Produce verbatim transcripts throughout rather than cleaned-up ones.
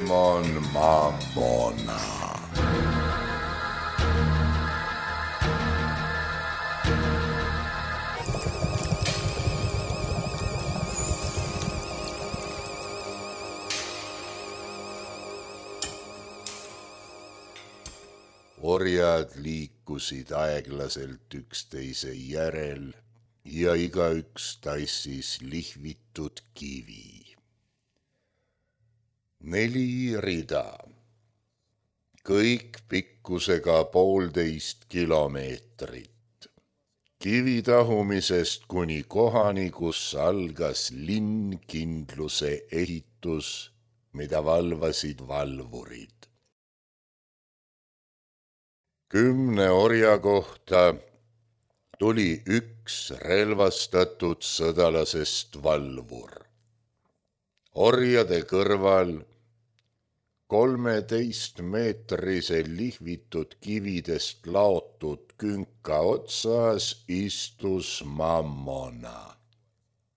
Demon Mammona. Orjad liikusid aeglaselt üksteise järel ja igaüks tassis lihvitud kivi. Neli rida, kõik pikkusega poolteist kilomeetrit. Kivitahumisest kuni kohani, kus algas linnkindluse ehitus, mida valvasid valvurid. Kümne orja kohta tuli üks relvastatud sõdalasest valvur. Orjade kõrval kolmeteist meetrise lihvitud kividest laotud künka otsas istus Mammona,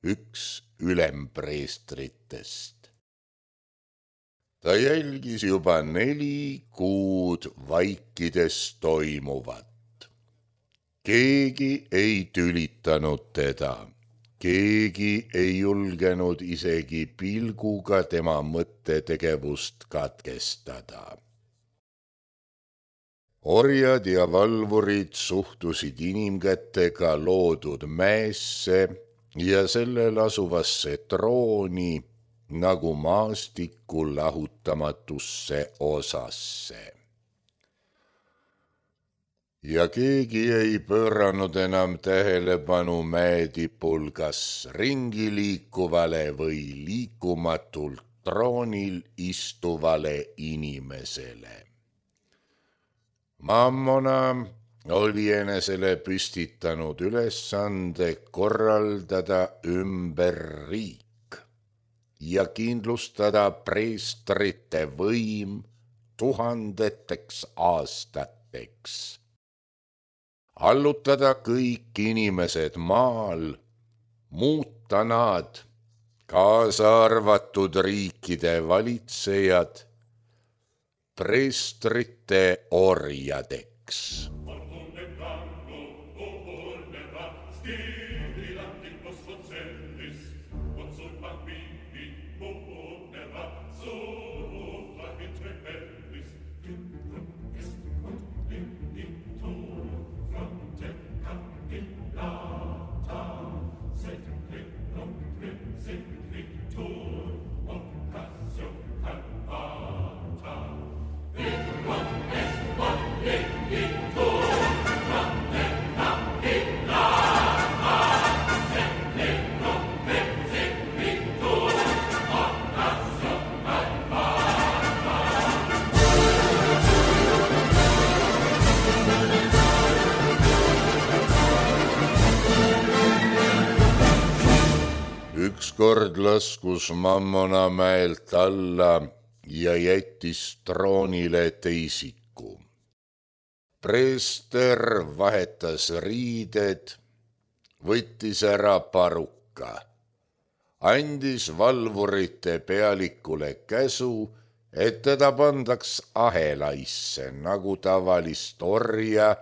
üks ülempreestritest. Ta jälgis juba neli kuud vaikides toimuvat. Keegi ei tülitanud teda, keegi ei julgenud isegi pilguga tema mõttetegevust katkestada. Orjad ja valvurid suhtusid inimkätega loodud mäesse ja sellel asuvasse trooni nagu maastiku lahutamatusse osasse. Ja keegi ei pööranud enam tähelepanu mäetipul kas ringi liikuvale või liikumatult troonil istuvale inimesele. Mammona oli enesele püstitanud ülesande korraldada ümber riik ja kindlustada preestrite võim tuhandeteks aastateks. Allutada kõik inimesed maal, muuta nad, kaasa arvatud riikide valitsejad, preestrite orjadeks. Ükskord laskus Mammona mäelt alla ja jättis troonile teisiku. Preester vahetas riided, võttis ära paruka, andis valvurite pealikule käsu, et teda pandaks ahelaisse nagu tavalist orja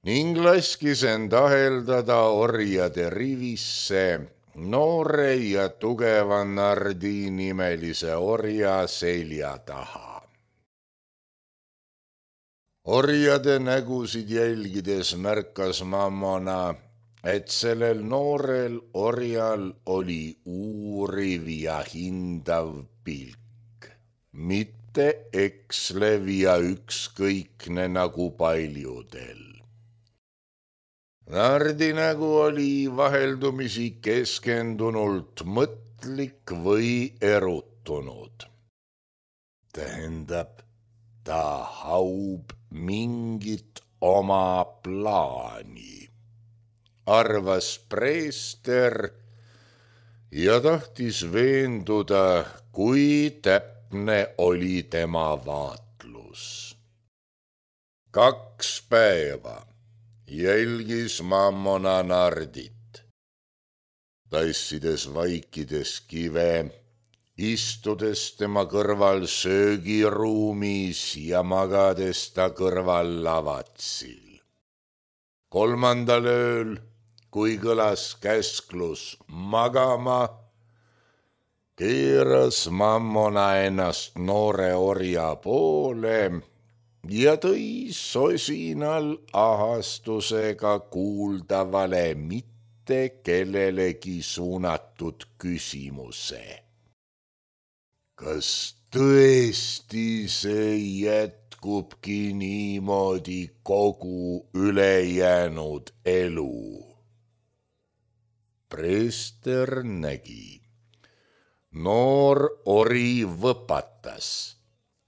ning laskis end aheldada orjade rivisse noore ja tugeva Nardi nimelise orja selja taha. Orjade nägusid jälgides märkas Mammona, et sellel noorel orjal oli uuriv ja hindav pilk, mitte ekslev ja ükskõikne nagu paljudel. Nardi nägu oli vaheldumisi keskendunult mõtlik või erutunud. Tähendab, ta haub mingit oma plaani, arvas preester ja tahtis veenduda, kui täpne oli tema vaatlus. Kaks päeva jälgis Mammona Nardit, tassides vaikides kive istudes tema kõrval söögiruumis ja magades ta kõrval lavatsil. Kolmandal ööl, kui kõlas käsklus magama, keeras mammona ennast noore orja poole ja tõi sosinal ahastusega kuuldavale mitte kellelegi suunatud küsimuse. Kas tõesti see jätkubki niimoodi kogu ülejäänud elu? Preester nägi. Noor ori võpatas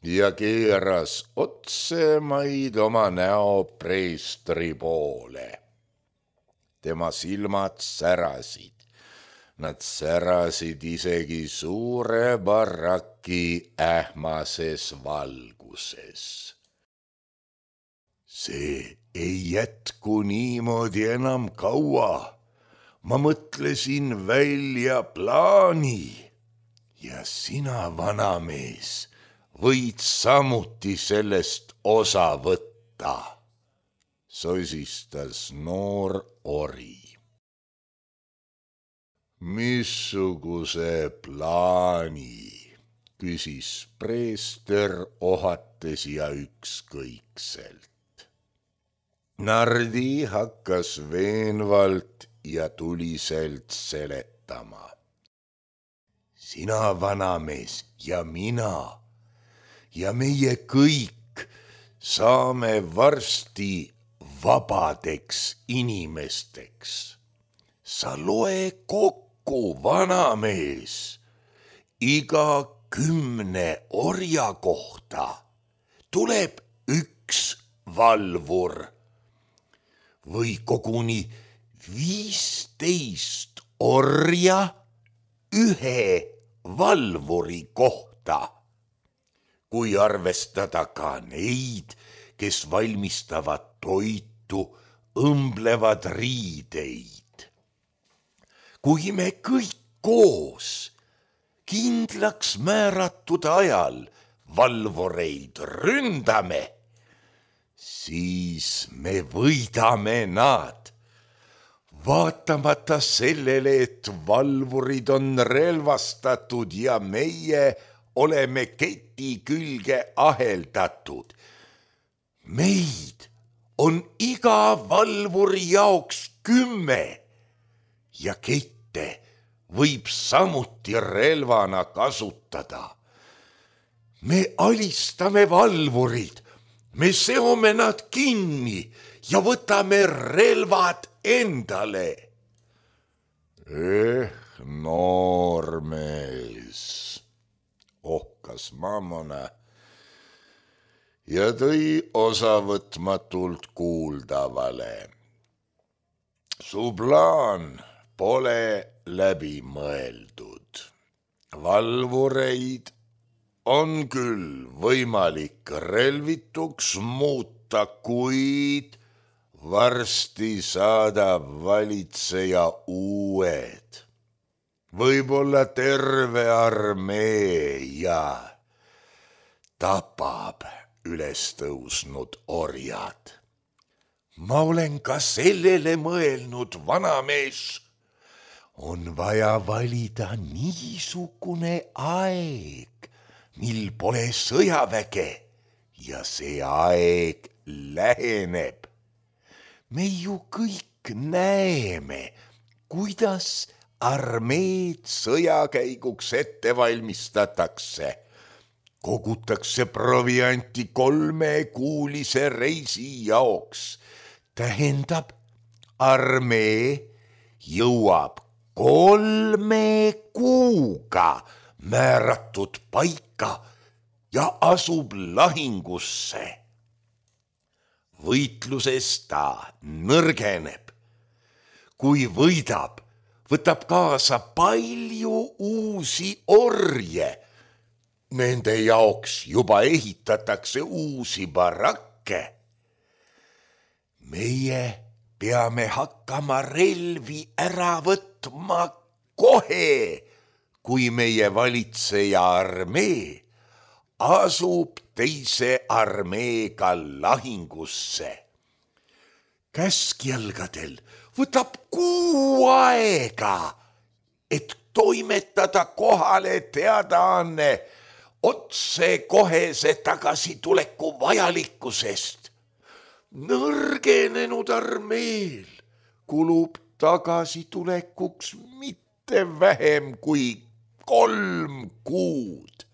ja keeras otsemaid oma näo preestri poole. Tema silmad särasid. Nad särasid isegi suure baraki ähmases valguses. See ei jätku niimoodi enam kaua. Ma mõtlesin välja plaani ja sina, vanamees, võid samuti sellest osa võtta, sosistas noor ori. Missuguse plaani, küsis preester ohates ja ükskõikselt. Nardi hakkas veenvalt ja tuliselt seletama. Sina, vanamees, ja mina ja meie kõik saame varsti vabadeks inimesteks. Sa loe kokku, vanamees, iga kümne orja kohta tuleb üks valvur või koguni viisteist orja ühe valvuri kohta, kui arvestada ka neid, kes valmistavad toitu, õmblevad riideid. Kui me kõik koos kindlaks määratud ajal valvureid ründame, siis me võidame nad. Vaatamata sellele, et valvurid on relvastatud ja meie oleme keti külge aheldatud. Meid on iga valvuri jaoks kümme ja kette võib samuti relvana kasutada. Me alistame valvurid, me seome nad kinni ja võtame relvad endale. Eh, noormees, ohkas mammona ja tõi osavõtmatult kuuldavale. Su plaan pole läbi mõeldud. Valvureid on küll võimalik relvituks muuta, kuid varsti saadab valitseja uued, võib-olla terve armee ja tapab üles tõusnud orjad. Ma olen ka sellele mõelnud, vanamees. On vaja valida niisugune aeg, mil pole sõjaväge ja see aeg läheneb. Me ju kõik näeme, kuidas armeed sõjakäiguks ette valmistatakse. Kogutakse provianti kolmekuulise reisi jaoks. Tähendab, armee jõuab kolme kuuga määratud paika ja asub lahingusse. Võitluses ta nõrgeneb. Kui võidab, võtab kaasa palju uusi orje. Nende jaoks juba ehitatakse uusi barakke. Meie peame hakkama relvi ära võtma kohe, kui meie valitseja armee asub teise armeega lahingusse. Käskjalgadel võtab kuu aega, et toimetada kohale teadaanne otse kohese tagasituleku vajalikkusest. Nõrgenenud armeel kulub tagasitulekuks mitte vähem kui kolm kuud.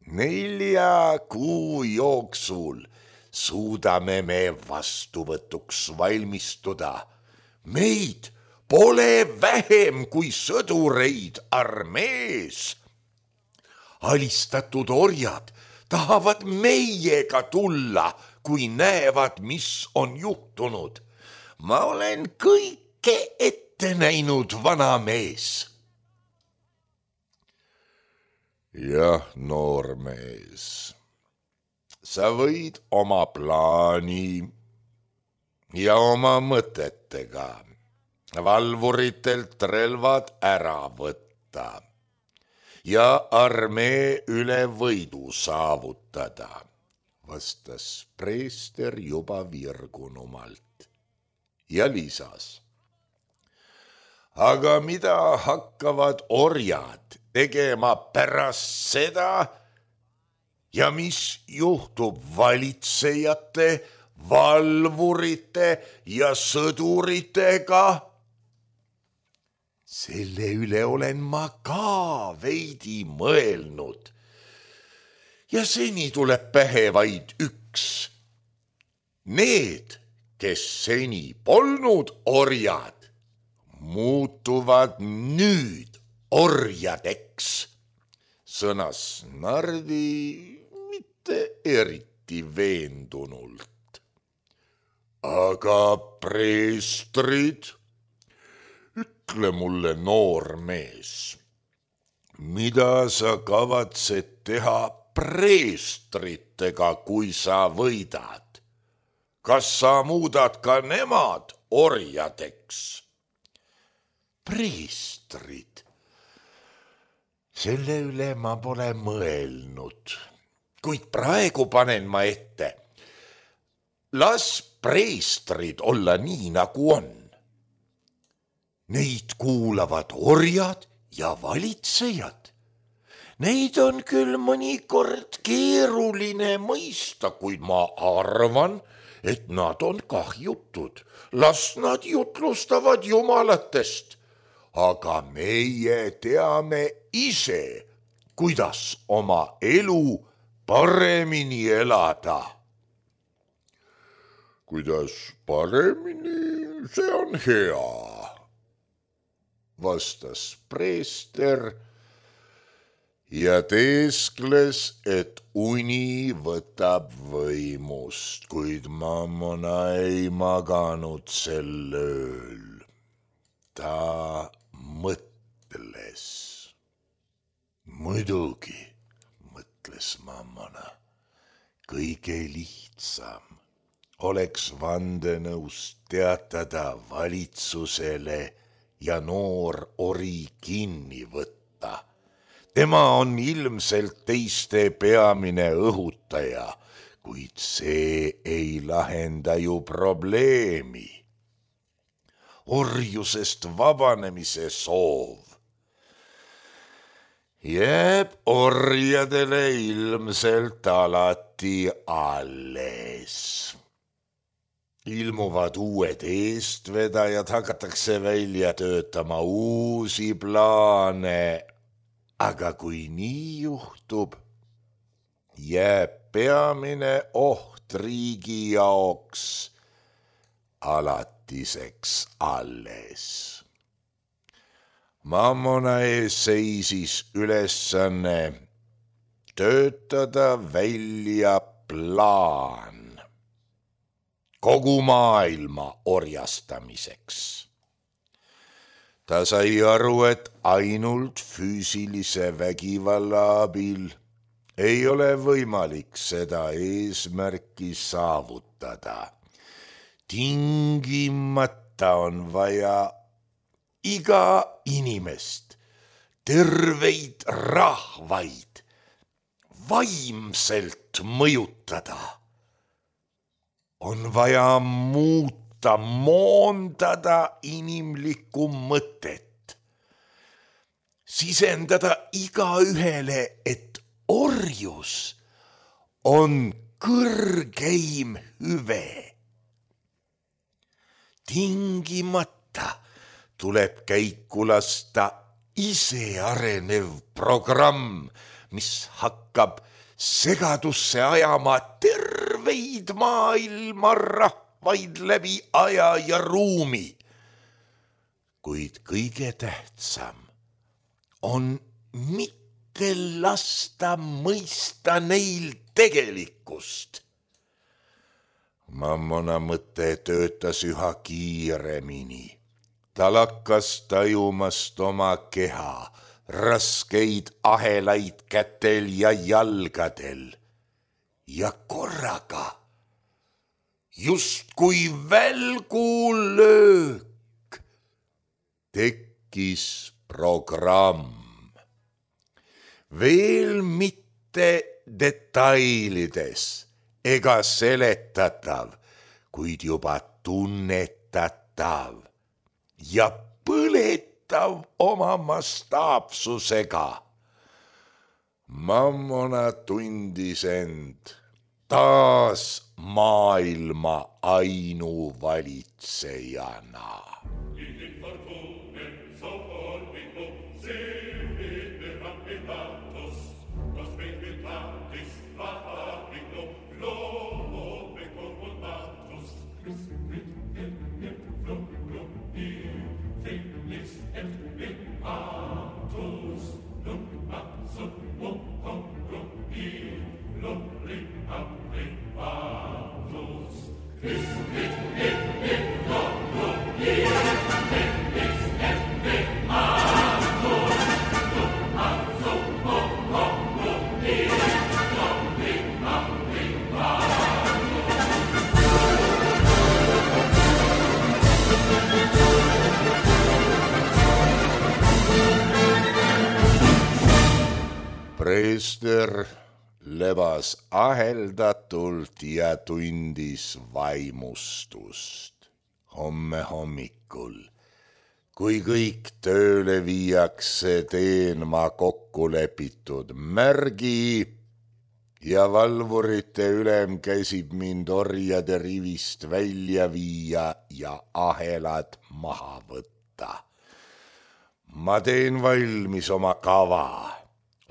Nelja kuu jooksul suudame me vastuvõtuks valmistuda. Meid pole vähem kui sõdureid armees. Alistatud orjad tahavad meiega tulla, kui näevad, mis on juhtunud. Ma olen kõike ette näinud, vana mees. Jah, noormees, sa võid oma plaani ja oma mõtetega valvuritelt relvad ära võtta ja armee üle võidu saavutada, vastas preester juba virgunumalt ja lisas. Aga mida hakkavad orjad tegema pärast seda ja mis juhtub valitsejate, valvurite ja sõduritega? Selle üle olen ma ka veidi mõelnud. Ja seni tuleb pähe vaid üks. Need, kes seni polnud orjad, muutuvad nüüd orjadeks, sõnas Nardi mitte eriti veendunult. Aga preestrid, ütle mulle, noor mees, mida sa kavatsed teha preestritega, kui sa võidad? Kas sa muudad ka nemad orjadeks? Preestrid, selle üle ma pole mõelnud, kuid praegu panen ma ette. Las preestrid olla nii, nagu on. Neid kuulavad orjad ja valitsejad. Neid on küll mõnikord keeruline mõista, kuid ma arvan, et nad on kahjutud. Las nad jutlustavad jumalatest. Aga meie teame ise, kuidas oma elu paremini elada. Kuidas paremini, see on hea, vastas preester ja teeskles, et uni võtab võimust, kuid Mammona ei maganud sel ööl. Ta mõtles. Muidugi, mõtles Mammona, kõige lihtsam oleks vandenõust teatada valitsusele ja noor ori kinni võtta. Tema on ilmselt teiste peamine õhutaja, kuid see ei lahenda ju probleemi. Orjusest vabanemise soov jääb orjadele ilmselt alati alles. Ilmuvad uued eestvedajad, hakatakse välja töötama uusi plaane, aga kui nii juhtub, jääb peamine oht riigi jaoks alatiseks alles. Mammona ees seisis ülesanne töötada välja plaan kogu maailma orjastamiseks. Ta sai aru, et ainult füüsilise vägivalla abil ei ole võimalik seda eesmärki saavutada. Tingimata on vaja iga inimest terveid rahvaid vaimselt mõjutada, on vaja muuta, moondada inimlikku mõtet, sisendada igaühele, et orjus on kõrgeim hüve. Tingimata tuleb käiku lasta ise arenev programm, mis hakkab segadusse ajama terveid maailma rahvaid läbi aja ja ruumi. Kuid kõige tähtsam on mitte lasta mõista neil tegelikkust. Mammona mõte töötas üha kiiremini. Ta lakkas tajumast oma keha, raskeid ahelaid kätel ja jalgadel. Ja korraga, justkui välgulöök, tekkis programm. Veel mitte detailides ega seletatav, kuid juba tunnetatav ja põletav oma mastaapsusega. Mammona tundis end taas maailma ainuvalitsejana. Preester lebas aheldatult ja tundis vaimustust. Homme hommikul, kui kõik tööle viiakse, teen ma kokku lepitud märgi ja valvurite ülem käsib mind orjade rivist välja viia ja ahelad maha võtta. Ma teen valmis oma kava.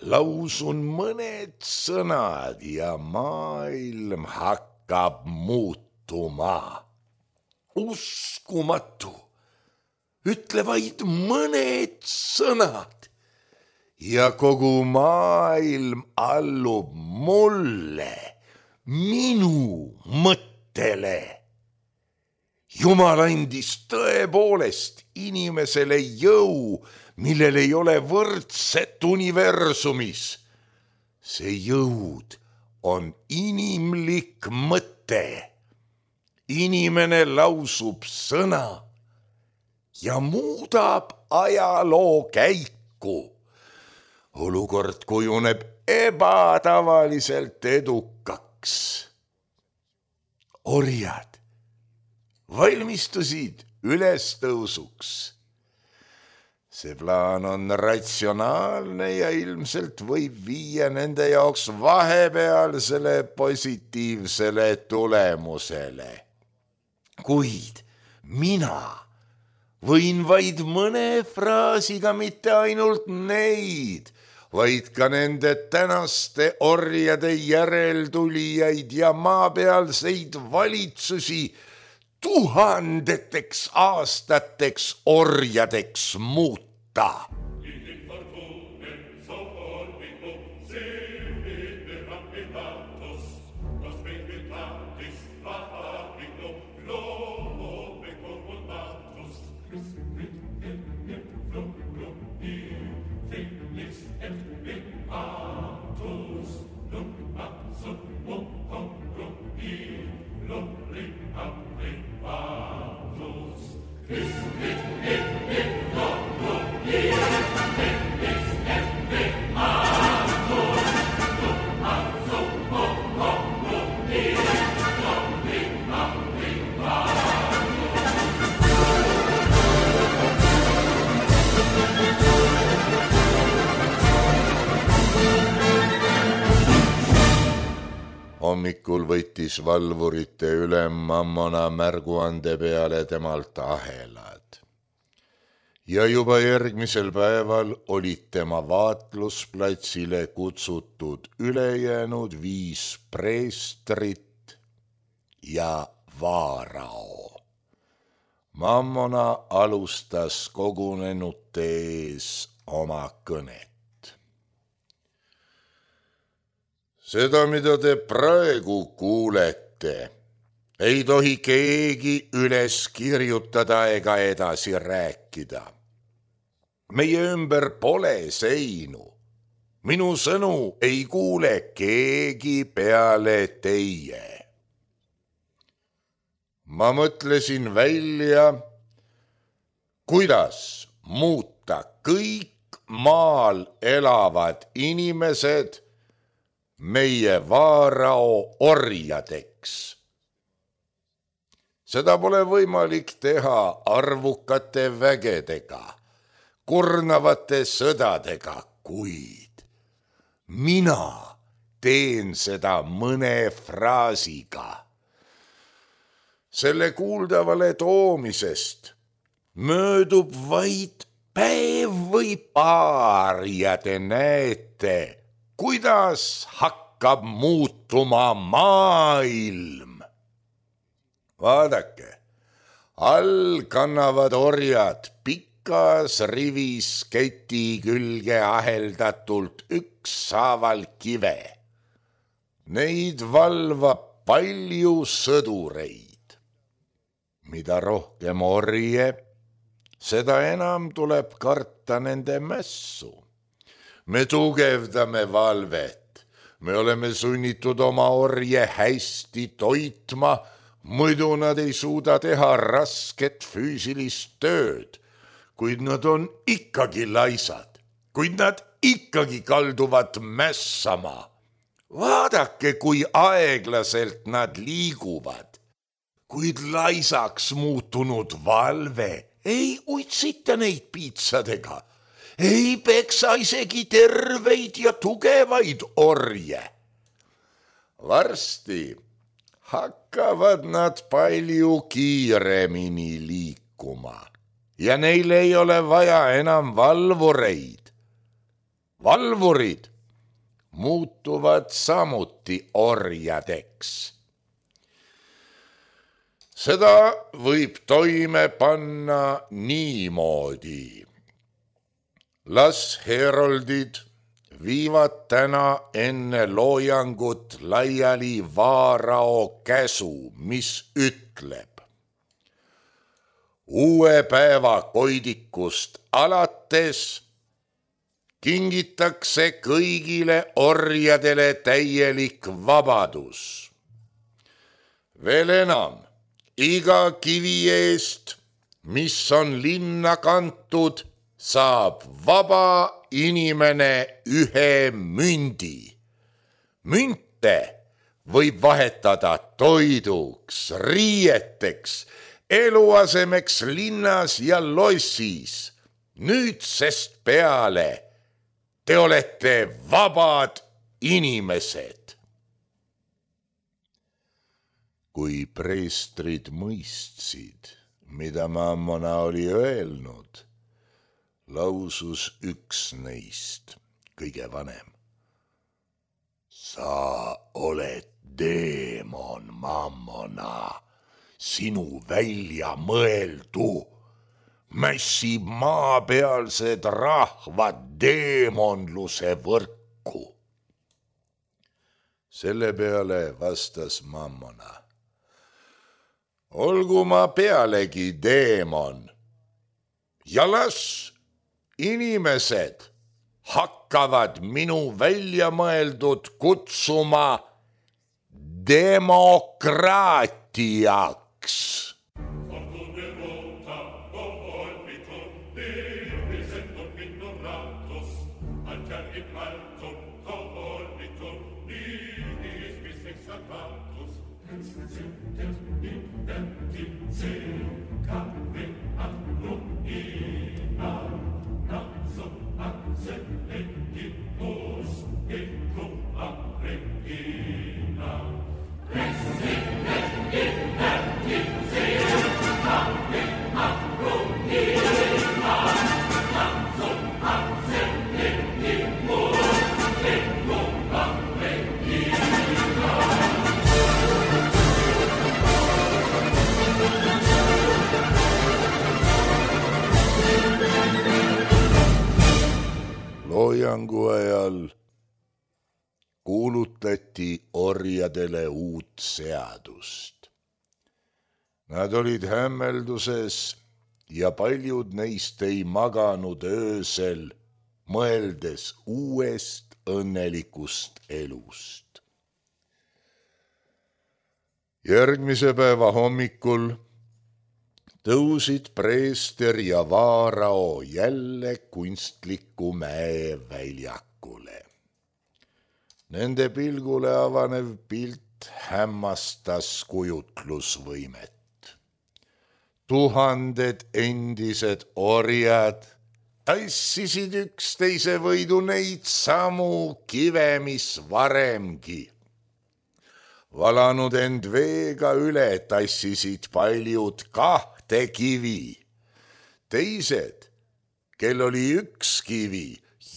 Lausun mõned sõnad ja maailm hakkab muutuma. Uskumatu, ütle vaid mõned sõnad ja kogu maailm allub mulle, minu mõttele. Jumal andis tõepoolest inimesele jõu, millel ei ole võrdset universumis. See jõud on inimlik mõte. Inimene lausub sõna ja muudab ajaloo käiku. Olukord kujuneb ebatavaliselt edukaks. Orjad valmistusid ülestõusuks. See plaan on ratsionaalne ja ilmselt võib viia nende jaoks vahepealsele positiivsele tulemusele. Kuid mina võin vaid mõne fraasiga mitte ainult neid, vaid ka nende tänaste orjade järeltulijaid ja maapealseid valitsusi tuhandeteks aastateks orjadeks muuta. Is it, it, it, it, it, it, Hommikul võttis valvurite ülem Mammona märguande peale temalt ahelad. Ja juba järgmisel päeval olid tema vaatlusplatsile kutsutud ülejäänud viis preestrit ja vaarao. Mammona alustas kogunenute ees oma kõnet. Seda, mida te praegu kuulete, ei tohi keegi üles kirjutada ega edasi rääkida. Meie ümber pole seinu. Minu sõnu ei kuule keegi peale teie. Ma mõtlesin välja, kuidas muuta kõik maal elavad inimesed meie vaarao orjadeks. Seda pole võimalik teha arvukate vägedega, kurnavate sõdadega, kuid mina teen seda mõne fraasiga. Selle kuuldavale toomisest möödub vaid päev või paar ja te näete, kuidas hakkab muutuma maailm. Vaadake, all kannavad orjad pikas rivis keti külge aheldatult ükshaaval kive. Neid valvab palju sõdureid. Mida rohkem orje, seda enam tuleb karta nende mässu. Me tugevdame valvet, me oleme sunnitud oma orje hästi toitma, muidu nad ei suuda teha rasket füüsilist tööd, kuid nad on ikkagi laisad, kuid nad ikkagi kalduvad mässama. Vaadake, kui aeglaselt nad liiguvad, kuid laisaks muutunud valve ei uitsita neid piitsadega. Ei peksa isegi terveid ja tugevaid orje. Varsti hakkavad nad palju kiiremini liikuma ja neil ei ole vaja enam valvureid. Valvurid muutuvad samuti orjadeks. Seda võib toime panna niimoodi. Las heroldid viivad täna enne loojangut laiali vaarao käsu, mis ütleb. Uue päeva koidikust alates kingitakse kõigile orjadele täielik vabadus. Veel enam, iga kivi eest, mis on linna kantud, saab vaba inimene ühe mündi. Münte võib vahetada toiduks, riieteks, eluasemeks linnas ja lossis. Nüüdsest peale te olete vabad inimesed. Kui preestrid mõistsid, mida Mammona oli öelnud, lausus üks neist, kõige vanem. Sa oled deemon, Mammona, sinu välja mõeldu mässib maapealsed rahvad deemonluse võrku. Selle peale vastas Mammona. Olgu ma pealegi deemon ja las inimesed hakkavad minu välja mõeldud kutsuma demokraatiaks. Regina arutati orjadele uut seadust. Nad olid hämmelduses ja paljud neist ei maganud öösel, mõeldes uuest õnnelikust elust. Järgmise päeva hommikul tõusid preester ja vaarao jälle kunstliku mäe väljakule. Nende pilgule avanev pilt hämmastas kujutlusvõimet. Tuhanded endised orjad tassisid üksteise võidu neid samu kive, mis varemgi. Valanud end veega üle tassisid paljud kahte kivi. Teised, kel oli üks kivi,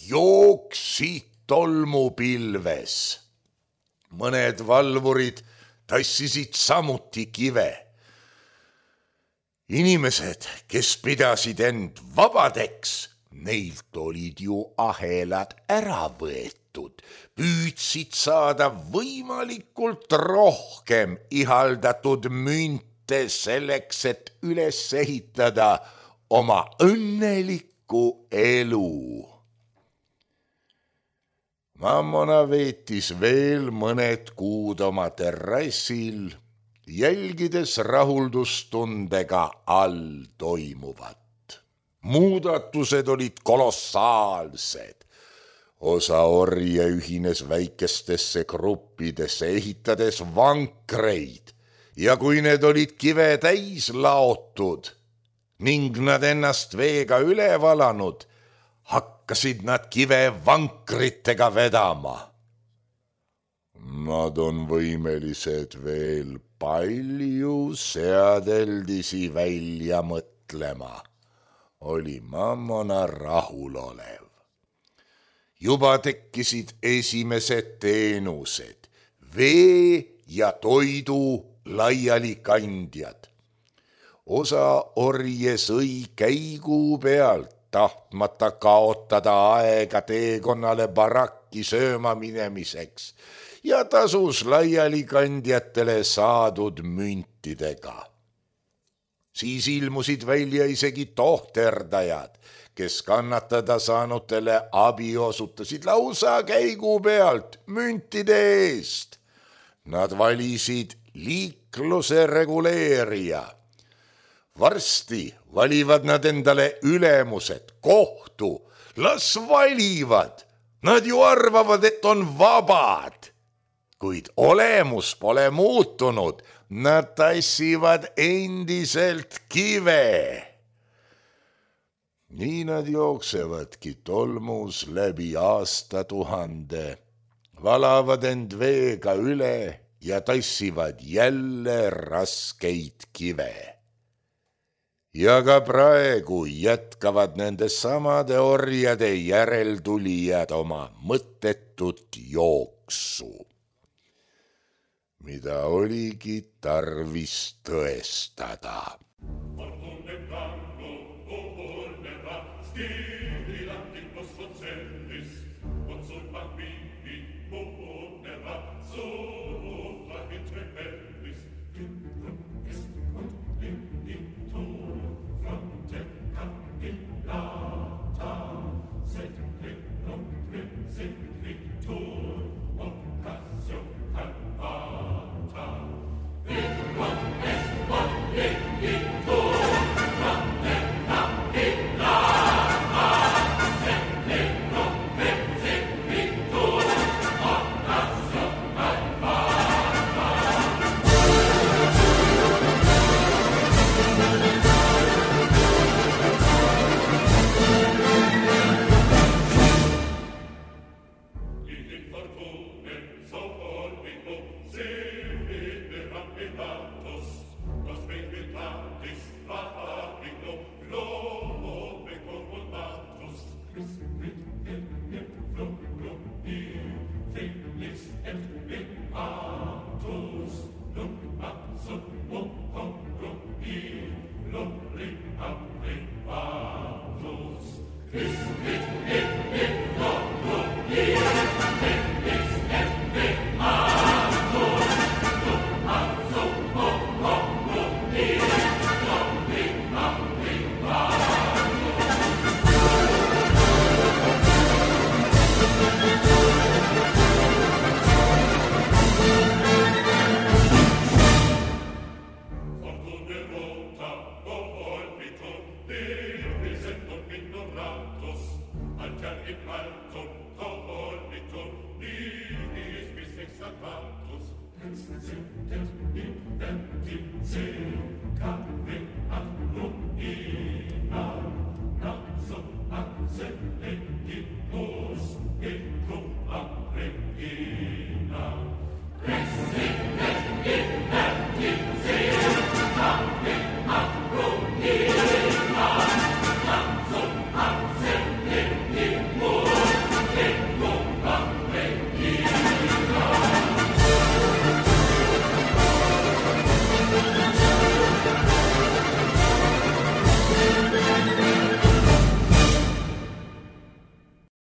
jooksid tolmupilves. Mõned valvurid tassisid samuti kive. Inimesed, kes pidasid end vabadeks, neilt olid ju ahelad ära võetud, püüdsid saada võimalikult rohkem ihaldatud münte selleks, et üles ehitada oma õnnelikku elu. Mammona veetis veel mõned kuud oma terrassil, jälgides rahuldustundega all toimuvat. Muudatused olid kolossaalsed. Osa orje ühines väikestesse gruppidesse, ehitades vankreid, ja kui need olid kive täis laotud ning nad ennast veega üle valanud, hakkasid nad kive vankritega vedama. Nad on võimelised veel palju seadeldisi välja mõtlema, oli Mammona rahulolev. Juba tekkisid esimesed teenused, vee ja toidu laialikandjad. Osa orje sõi käigu pealt, tahtmata kaotada aega teekonnale barakki sööma minemiseks, ja tasus laialikandjatele saadud müntidega. Siis ilmusid välja isegi tohterdajad, kes kannatada saanutele abi osutasid lausa käigu pealt müntide eest. Nad valisid liikluse reguleerija. Varsti valivad nad endale ülemused, kohtu, las valivad. Nad ju arvavad, et on vabad. Kuid olemus pole muutunud, nad tassivad endiselt kive. Nii nad jooksevadki tolmus läbi aastatuhande, valavad end veega üle ja tassivad jälle raskeid kive. Ja ka praegu jätkavad nende samade orjade järeltulijad oma mõttetut jooksu, mida oligi tarvis tõestada.